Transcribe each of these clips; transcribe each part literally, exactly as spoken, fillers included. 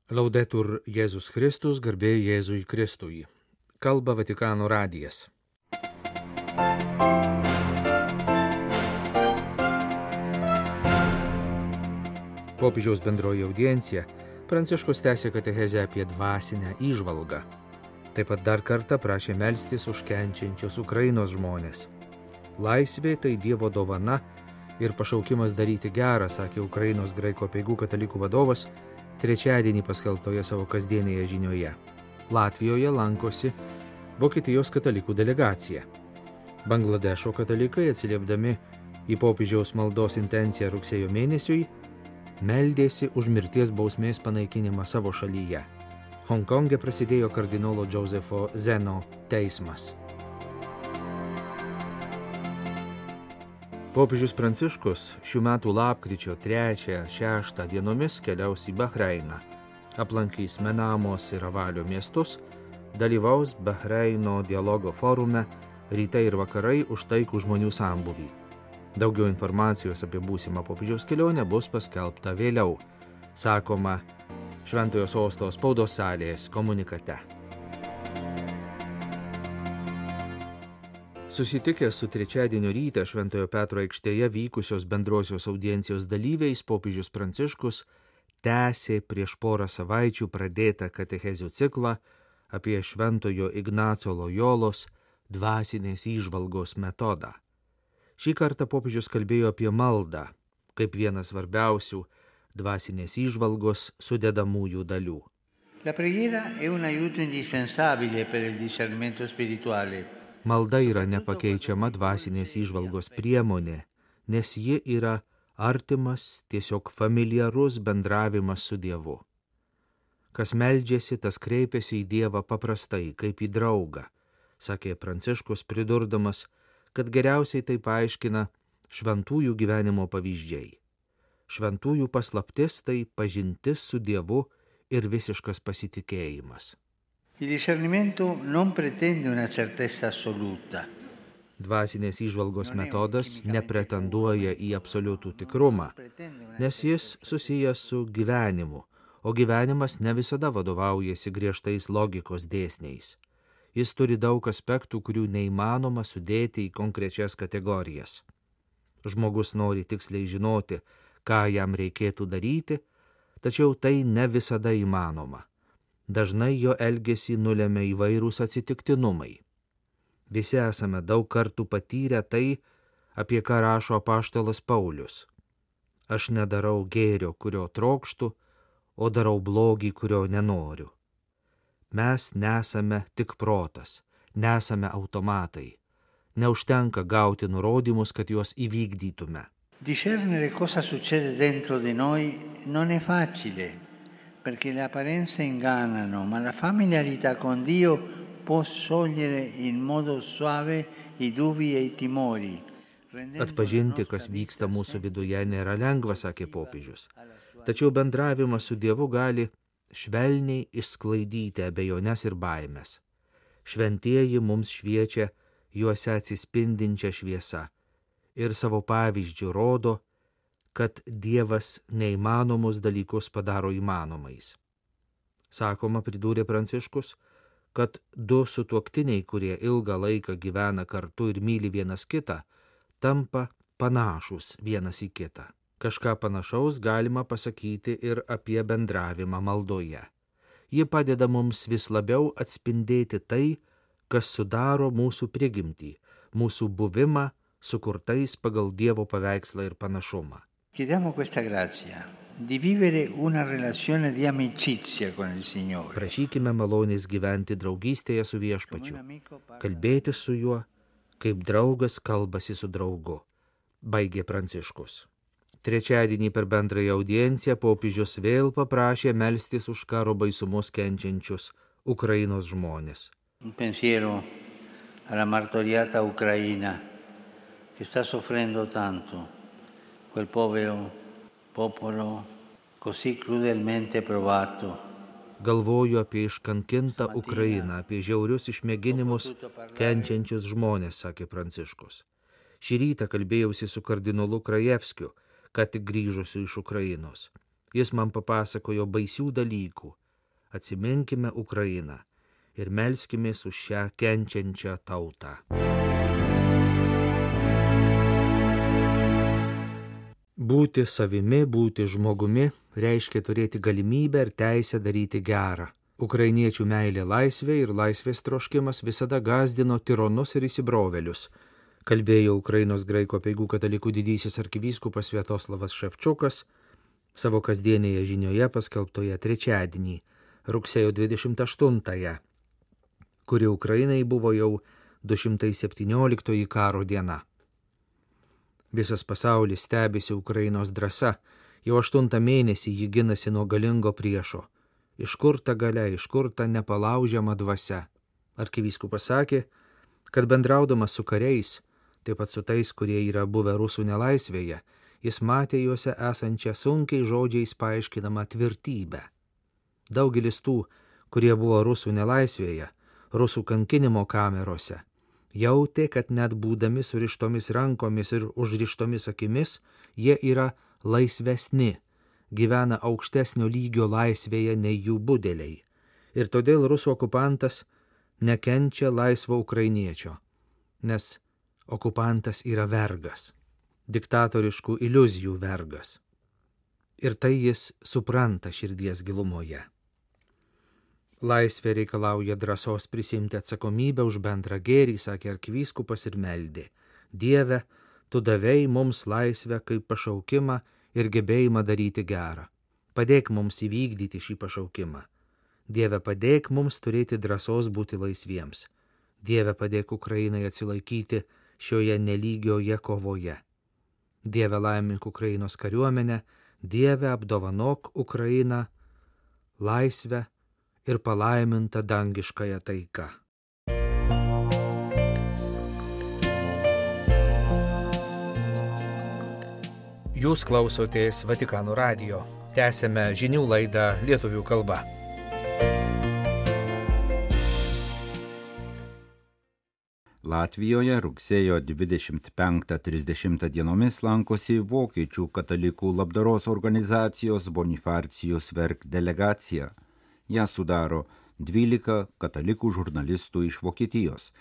Laudetur Jėzus Kristus, garbė Jėzui Kristui. Kalba Vatikano radijas. Popiežiaus bendroji audiencija Pranciškus tęsė katechezę apie dvasinę įžvalgą. Taip pat dar kartą prašė melstis už kenčiančius Ukrainos žmonės. Laisvė tai Dievo dovana ir pašaukimas daryti gerą, sakė Ukrainos graikų apeigų katalikų vadovas trečiadienį paskelbtoje savo kasdienėje žinioje. Latvijoje lankosi Vokietijos katalikų delegacija. Bangladešo katalikai, atsiliepdami į popiežiaus maldos intenciją rugsėjo mėnesiui, meldėsi už mirties bausmės panaikinimą savo šalyje. Honkonge prasidėjo kardinolo Džozefo Zeno teismas. Popiežius Pranciškus šių metų lapkričio trečią šeštą dienomis keliaus į Bahreiną, aplankys Menamos ir Avalio miestus, dalyvaus Bahreino dialogo forume Rytai ir vakarai už taikų žmonių sambūvį. Daugiau informacijos apie būsimą popiežiaus kelionę bus paskelbta vėliau, sakoma Šventojo Sosto spaudos salės komunikate. Susitikęs su trečiadienio rytą Šventojo Petro aikštėje vykusios bendrosios audiencijos dalyviais, popiežius Pranciškus tęsė prieš porą savaičių pradėtą katechezių ciklą apie Šventojo Ignaco Lojolos dvasinės įžvalgos metodą. Šį kartą popiežius kalbėjo apie maldą, kaip vieną svarbiausių dvasinės įžvalgos sudedamųjų dalių. La preghiera è un aiuto indispensabile per il discernimento spirituale. Malda yra nepakeičiama dvasinės įžvalgos priemonė, nes ji yra artimas, tiesiog familiarus bendravimas su Dievu. Kas meldžiasi, tas kreipiasi į Dievą paprastai, kaip į draugą, sakė Pranciškus, pridurdamas, kad geriausiai tai paaiškina šventųjų gyvenimo pavyzdžiai. Šventųjų paslaptis tai pažintis su Dievu ir visiškas pasitikėjimas. Il discernimento non pretende una certezza assoluta. Dvasinės įžvalgos metodas nepretenduoja į absoliutų tikrumą, nes jis susijęs su gyvenimu, o gyvenimas ne visada vadovaujasi griežtais logikos dėsniais. Jis turi daug aspektų, kurių neįmanoma sudėti į konkrečias kategorijas. Žmogus nori tiksliai žinoti, ką jam reikėtų daryti, tačiau tai ne visada įmanoma. Dažnai jo elgesį nulemia įvairūs atsitiktinumai. Visi esame daug kartų patyrę tai, apie ką rašo apaštalas Paulius. Aš nedarau gėrio, kurio trokštu, o darau blogį, kurio nenoriu. Mes nesame tik protas, nesame automatai. Neužtenka gauti nurodymus, kad juos įvykdytume. Discernere cosa succede dentro di noi non è facile. Perché le apparenze ingannano, ma la familiarità con Dio può sciogliere in modo suave i dubbi e i timori. Atpažinti, kas vyksta mūsų viduje, nėra lengva, sakė popiežius. Tačiau bendravimas su Dievu gali švelniai išsklaidyti abejones ir baimės. Šventieji mums šviečia juose atsispindinčią šviesą ir savo pavyzdžių rodo, kad Dievas neįmanomus dalykus padaro įmanomais. Sakoma, pridūrė Pranciškus, kad du sutuoktiniai, kurie ilgą laiką gyvena kartu ir myli vienas kitą, tampa panašūs vienas į kitą. Kažką panašaus galima pasakyti ir apie bendravimą maldoje. Ji padeda mums vis labiau atspindėti tai, kas sudaro mūsų prigimtį, mūsų buvimą sukurtais pagal Dievo paveikslą ir panašumą. Chiediamo questa grazia di vivere una relazione di amicizia con il Signore. Prašykime malonės gyventi draugystėje su Viešpačiu, kalbėti su juo, kaip draugas kalbasi su draugu, baigė Pranciškus. Trečiadienį per bendrąją audienciją popiežius vėl paprašė melstis už karo baisumus kenčiančius Ukrainos žmonės. Un pensiero alla martoriata Ucraina che sta soffrendo tanto. Quel povero popolo così crudelmente provato. Galvoju apie iškankintą Ukrainą, apie žiaurius išmėginimus kenčiančius žmonės, sakė Pranciškus. Šį rytą kalbėjausi su kardinolu Krajevskiu, ką tik grįžusiu iš Ukrainos. Jis man papasakojo baisių dalykų. Atsiminkime Ukrainą ir melskimės už šią kenčiančią tautą. Būti savimi, būti žmogumi reiškia turėti galimybę ir teisę daryti gerą. Ukrainiečių meilė laisvė ir laisvės troškimas visada gąsdino tironus ir įsibrovėlius, kalbėjo Ukrainos graikų apeigų katalikų didysis arkivyskupas Sviatoslavas Ševčiukas savo kasdienėje žinioje paskelbtoje trečiadienį, rugsėjo dvidešimt aštuntąją, kuri Ukrainai buvo jau du šimtai septynioliktoji karo diena. Visas pasaulis stebisi Ukrainos drąsa, jau aštuntą mėnesį ji ginasi nuo galingo priešo. Iš kur ta galia, iš kur ta nepalaužiama dvasia? Arkivyskupas sakė, kad bendraudamas su kariais, taip pat su tais, kurie yra buvę rusų nelaisvėje, jis matė juose esančią sunkiai žodžiais paaiškinamą tvirtybę. Daugelis tų, kurie buvo rusų nelaisvėje, rusų kankinimo kamerose, jautė, kad net būdami surištomis rankomis ir užrištomis akimis, jie yra laisvesni, gyvena aukštesnio lygio laisvėje nei jų budeliai. Ir todėl rusų okupantas nekenčia laisvo ukrainiečio, nes okupantas yra vergas, diktatoriškų iliuzijų vergas. Ir tai jis supranta širdies gilumoje. Laisvė reikalauja drąsos prisimti atsakomybę už bendrą gėrį, sakė arkivyskupas ir meldė. Dieve, tu davei mums laisvę kaip pašaukimą ir gebėjimą daryti gerą. Padėk mums įvykdyti šį pašaukimą. Dieve, padėk mums turėti drąsos būti laisviems. Dieve, padėk Ukrainai atsilaikyti šioje nelygioje kovoje. Dieve, laimink Ukrainos kariuomenę, Dieve, apdovanok Ukrainą laisvę ir palaiminta dangiškąją taiką. Jūs klausotės Vatikano radijo. Tęsėme žinių laidą lietuvių kalba. Latvijoje rugsėjo dvidešimt penktą trisdešimtą dienomis lankosi vokiečių katalikų labdaros organizacijos Bonifacijus Werk delegacija. Ją sudaro dvylika katalikų žurnalistų iš Vokietijos.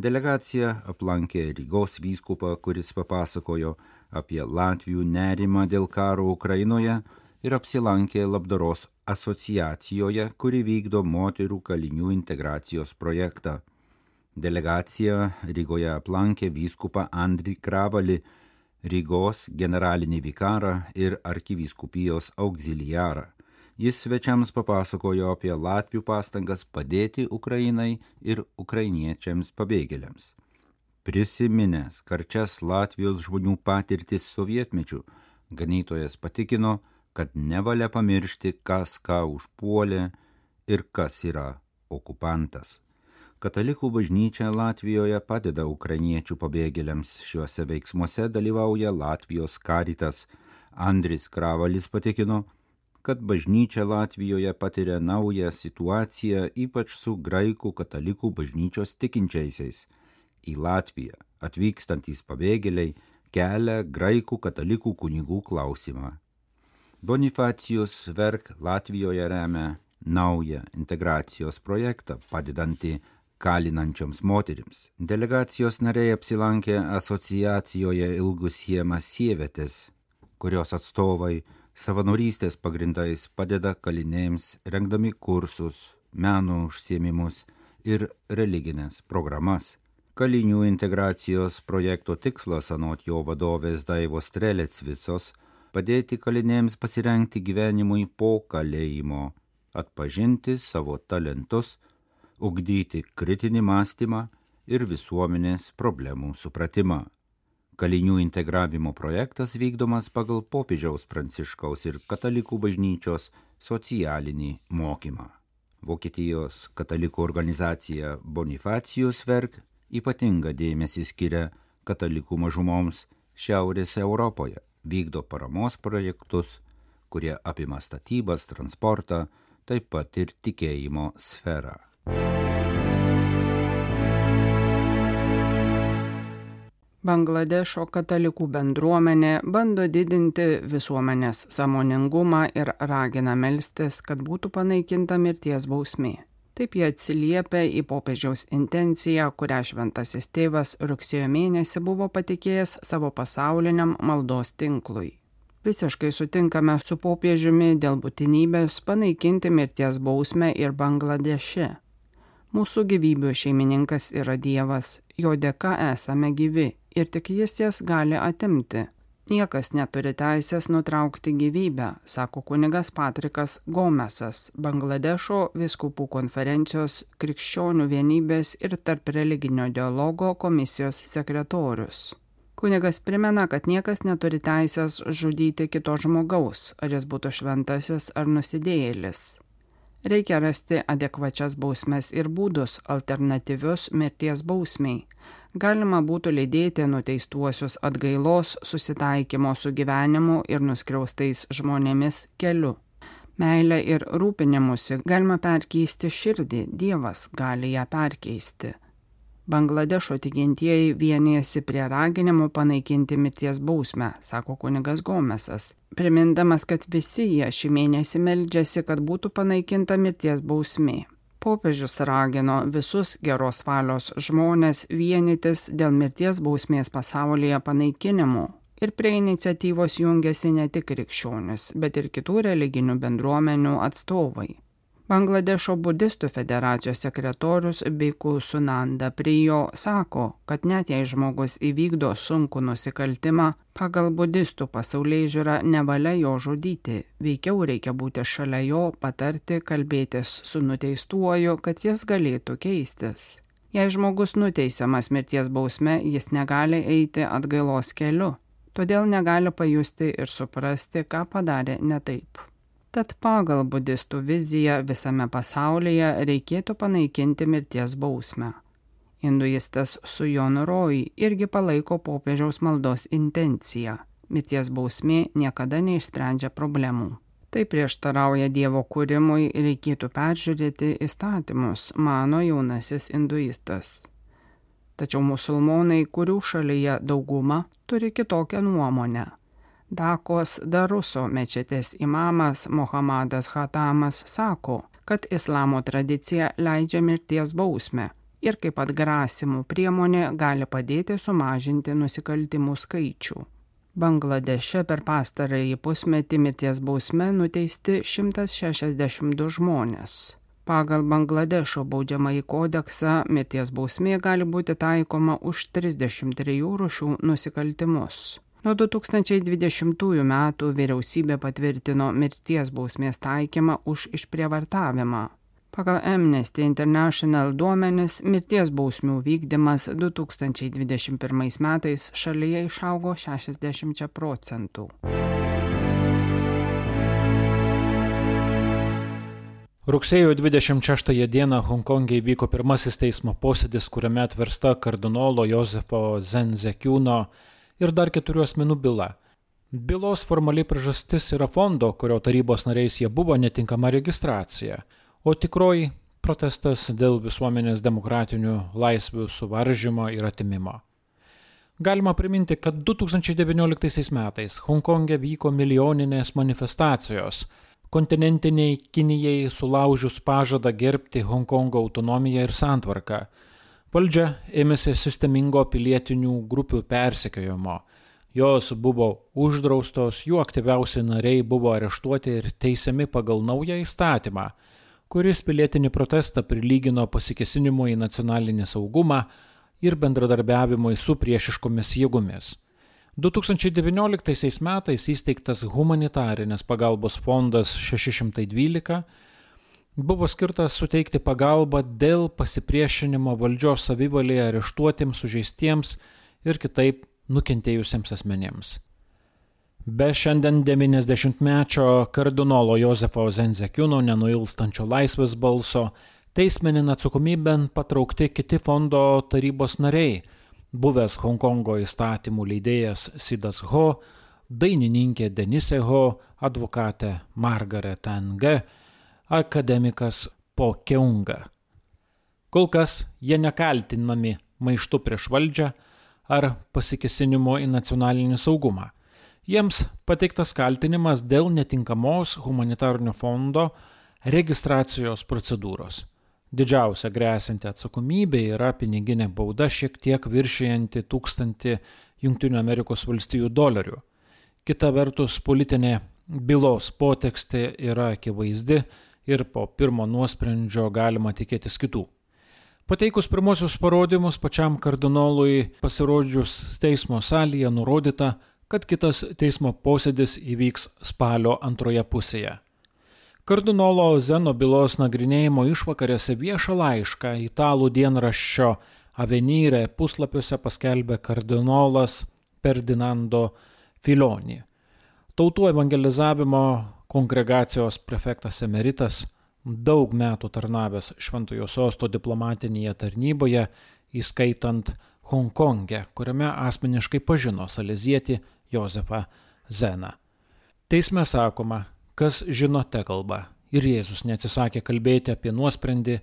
Delegacija aplankė Rygos vyskupą, kuris papasakojo apie Latvių nerimą dėl karo Ukrainoje ir apsilankė labdaros asociacijoje, kuri vykdo moterų kalinių integracijos projektą. Delegacija Rygoje aplankė vyskupą Andrį Kravalį, Rygos generalinį vikarą ir arkivyskupijos auxiliarą. Jis svečiams papasakojo apie Latvių pastangas padėti Ukrainai ir ukrainiečiams pabėgėliams. Prisiminęs karčias Latvijos žmonių patirtis sovietmečių, ganytojas patikino, kad nevalia pamiršti, kas ką užpuolė ir kas yra okupantas. Katalikų bažnyčia Latvijoje padeda ukrainiečių pabėgėliams. Šiuose veiksmuose dalyvauja Latvijos Caritas. Andris Kravalis patikino, kad bažnyčia Latvijoje patiria naują situaciją, ypač su graikų katalikų bažnyčios tikinčiaisiais. Į Latviją atvykstantys pabėgėliai kelia graikų katalikų kunigų klausimą. Bonifacijus Werk Latvijoje remia naują integracijos projektą, padedantį kalinančioms moterims. Delegacijos nariai apsilankė asociacijoje Ilgus Siemas Sievetės, kurios atstovai savanorystės pagrindais padeda kalinėms, rengdami kursus, meno užsiėmimus ir religinės programas. Kalinių integracijos projekto tikslas, anot jo vadovės Daivos Strelecvicos, padėti kalinėms pasirengti gyvenimui po kalėjimo, atpažinti savo talentus, ugdyti kritinį mąstymą ir visuomenės problemų supratimą. Kalinių integravimo projektas vykdomas pagal popiežiaus Pranciškaus ir katalikų bažnyčios socialinį mokymą. Vokietijos katalikų organizacija Bonifacijus Werk ypatingą dėmesį skiria katalikų mažumoms Šiaurės Europoje, vykdo paramos projektus, kurie apima statybas, transportą, taip pat ir tikėjimo sferą. Bangladešo katalikų bendruomenė bando didinti visuomenės sąmoningumą ir ragina melstis, kad būtų panaikinta mirties bausmė. Taip jie atsiliepia į popiežiaus intenciją, kurią šventasis tėvas rugsėjo mėnesį buvo patikėjęs savo pasauliniam maldos tinklui. Visiškai sutinkame su popiežiumi dėl būtinybės panaikinti mirties bausmę ir Bangladeše. Mūsų gyvybių šeimininkas yra Dievas, jo dėka esame gyvi ir tik jis jas gali atimti. Niekas neturi teisės nutraukti gyvybę, sako kunigas Patrikas Gomesas, Bangladešo vyskupų konferencijos krikščionių vienybės ir tarp religinio dialogo komisijos sekretorius. Kunigas primena, kad niekas neturi teisės žudyti kito žmogaus, ar jis būtų šventasis ar nusidėjėlis. Reikia rasti adekvačias bausmes ir būdus, alternatyvius mirties bausmiai. Galima būtų lydėti nuteistuosius atgailos, susitaikymo su gyvenimu ir nuskriaustais žmonėmis keliu. Meilę ir rūpinimusi galima perkeisti širdį, Dievas gali ją perkeisti. Bangladešo tikintieji vienijasi prie raginimų panaikinti mirties bausmę, sako kunigas Gomesas, primindamas, kad visi jie šį mėnesį meldžiasi, kad būtų panaikinta mirties bausmė. Popiežius ragino visus geros valios žmonės vienytis dėl mirties bausmės pasaulyje panaikinimo ir prie iniciatyvos jungiasi ne tik krikščionis, bet ir kitų religinių bendruomenių atstovai. Bangladešo budistų federacijos sekretorius Biku Sunanda Prijo sako, kad net jei žmogus įvykdo sunkų nusikaltimą, pagal budistų pasaulėžiūrą nevalia jo žudyti, veikiau reikia būti šalia jo, patarti, kalbėtis su nuteistuoju, kad jis galėtų keistis. Jei žmogus nuteisiamas mirties bausme, jis negali eiti atgailos keliu, todėl negali pajusti ir suprasti, ką padarė ne taip. Tad pagal budistų viziją visame pasaulyje reikėtų panaikinti mirties bausmę. Hinduistas Sujon Roy irgi palaiko popiežiaus maldos intenciją. Mirties bausmė niekada neišsprendžia problemų. Tai prieštarauja Dievo kūrimui, reikėtų peržiūrėti įstatymus, mano jaunasis hinduistas. Tačiau musulmonai, kurių šalyje dauguma, turi kitokią nuomonę. Dakos Daruso mečetės imamas Mohamedas Khatamas sako, kad islamo tradicija leidžia mirties bausmę ir kaip atgrasimų priemonė gali padėti sumažinti nusikaltimų skaičių. Bangladeše per pastarąjį pusmetį mirties bausme nuteisti šimtas šešiasdešimt du žmonės. Pagal Bangladešo baudžiamąjį kodeksą mirties bausmė gali būti taikoma už trisdešimt trijų rūšių nusikaltimus. Nuo du tūkstančiai dvidešimtųjų metų vyriausybė patvirtino mirties bausmės taikymą už išprievartavimą. Pagal Amnesty International duomenis mirties bausmių vykdymas du tūkstančiai dvidešimt pirmais metais šalyje išaugo šešiasdešimt procentų. Rugsėjo dvidešimt šeštąją dieną Honkonge įvyko pirmasis teismo posėdis, kuriame atversta kardinolo Josefo Zenzekiuno ir dar keturių asmenų byla. Bylos formaliai priežastis yra fondo, kurio tarybos nariais jie buvo netinkama registracija, o tikroji protestas dėl visuomenės demokratinių laisvių suvaržymo ir atimimo. Galima priminti, kad du tūkstančiai devynioliktaisiais metais Honkonge vyko milijoninės manifestacijos, kontinentiniai Kinijai sulaužius pažadą gerbti Honkongo autonomiją ir santvarką. Valdžia ėmėsi sistemingo pilietinių grupių persekiojimo. Jos buvo uždraustos, jų aktyviausi nariai buvo areštuoti ir teisiami pagal naują įstatymą, kuris pilietinį protestą prilygino pasikėsinimui į nacionalinį saugumą ir bendradarbiavimui su priešiškomis jėgomis. du tūkstančiai devynioliktaisiais metais įsteigtas humanitarinės pagalbos fondas šeši šimtai dvylika buvo skirtas suteikti pagalbą dėl pasipriešinimo valdžios savivalėje areštuotiems, sužeistiems ir kitaip nukentėjusiems asmenėms. Be šiandien devyniasdešimtmečio kardinolo Josefo Zenzekiuno nenuilstančio laisvės balso, teismenin atsakomybėn patraukti kiti fondo tarybos nariai, buvęs Honkongo įstatymų leidėjas Sidas Ho, dainininkė Denise Ho, advokatė Margaret Ng, akademikas Po Keunga. Kol kas jie nekaltinami maištu prieš valdžią ar pasikesinimo į nacionalinį saugumą. Jiems pateiktas kaltinimas dėl netinkamos humanitarnio fondo registracijos procedūros. Didžiausia grėsinti atsakomybė yra piniginė bauda šiek tiek viršijanti tūkstantį Jungtinių Amerikos valstijų dolerių. Kita vertus, politinė bylos potekstė yra akivaizdi ir po pirmo nuosprendžio galima tikėtis kitų. Pateikus pirmosius parodymus pačiam kardinolui pasirodžius teismo salėje nurodyta, kad kitas teismo posėdis įvyks spalio antroje pusėje. Kardinolo Zeno bylos nagrinėjimo išvakarėse viešą laišką italų dienraščio Avenire puslapiuose paskelbė kardinolas Ferdinando Filoni. Tautų evangelizavimo kongregacijos prefektas emeritas, daug metų tarnavęs Šventojo Sosto diplomatinėje tarnyboje, įskaitant Honkonge, kuriame asmeniškai pažino salezietį Jozefą Zeną. Teisme sakoma, kas žino te kalba, ir Jėzus neatsisakė kalbėti apie nuosprendį,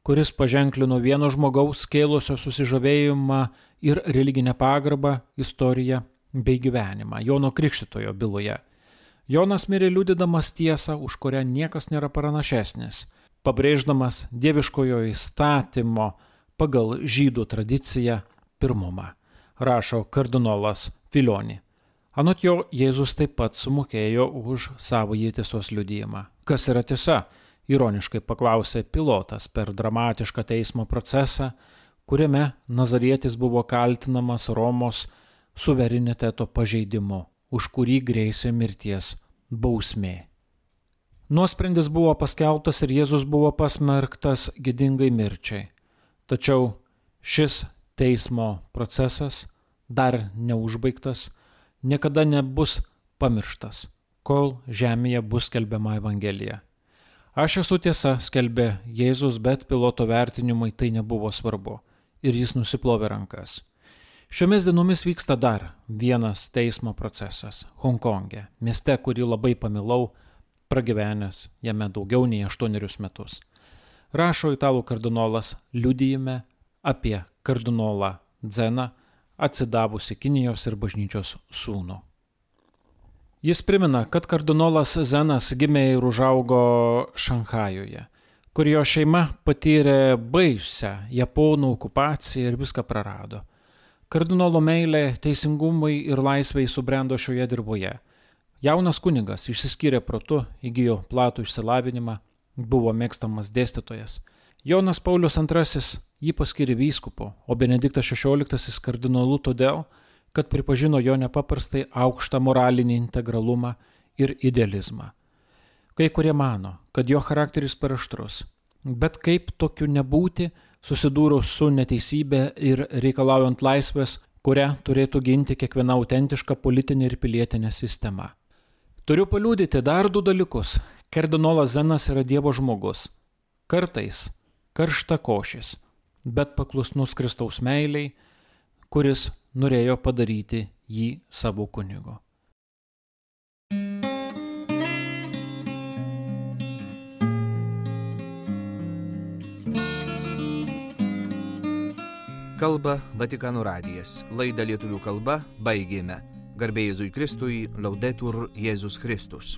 kuris paženklino vieno žmogaus kėlusio susižavėjimą ir religinę pagarbą, istoriją bei gyvenimą Jono Krikštytojo byloje. Jonas mirė liudydamas tiesą, už kurią niekas nėra pranašesnis, pabrėždamas dieviškojo įstatymo pagal žydų tradiciją pirmumą, rašo kardinolas Filoni. Anot jo, Jėzus taip pat sumokėjo už savąjį tiesos liudijimą. Kas yra tiesa? Ironiškai paklausė pilotas per dramatišką teismo procesą, kuriame Nazarietis buvo kaltinamas Romos suvereniteto pažeidimu, už kurį grėsė mirties bausmė. Nuosprendis buvo paskelbtas ir Jėzus buvo pasmerktas gėdingai mirčiai. Tačiau šis teismo procesas, dar neužbaigtas, niekada nebus pamirštas, kol žemėje bus skelbiama Evangelija. Aš esu tiesa, skelbė Jėzus, bet piloto vertinimui tai nebuvo svarbu ir jis nusiplovė rankas. Šiomis dienomis vyksta dar vienas teismo procesas Honkonge, mieste, kurį labai pamilau, pragyvenęs jame daugiau nei aštuonerius metus. Rašo italų kardinolas liudijime apie kardinolą Zeną, atsidavusi Kinijos ir bažnyčios sūnų. Jis primena, kad kardinolas Zenas gimė ir užaugo Šanchajuje, kur jo šeima patyrė baisią japonų okupaciją ir viską prarado. Kardinolo meilė teisingumui ir laisvei subrendo šioje dirboje. Jaunas kunigas išsiskyrė protu, įgijo platų išsilavinimą, buvo mėgstamas dėstytojas. Jonas Paulius antrasis jį paskyrė vyskupu, o Benediktas šešioliktasis kardinolu todėl, kad pripažino jo nepaprastai aukštą moralinį integralumą ir idealizmą. Kai kurie mano, kad jo charakteris per aštrus, bet kaip tokiu nebūti, susidūrus su neteisybė ir reikalaujant laisvės, kurią turėtų ginti kiekviena autentiška politinė ir pilietinė sistema. Turiu paliudyti dar du dalykus. Kardinolas Zenas yra Dievo žmogus, kartais karštakošis, bet paklusnus Kristaus meiliai, kuris norėjo padaryti jį savo kunigu. Kalba Vatikano radijas. Laidą lietuvių kalba baigėme. Garbė Jėzui Kristui, Laudetur Jėzus Kristus.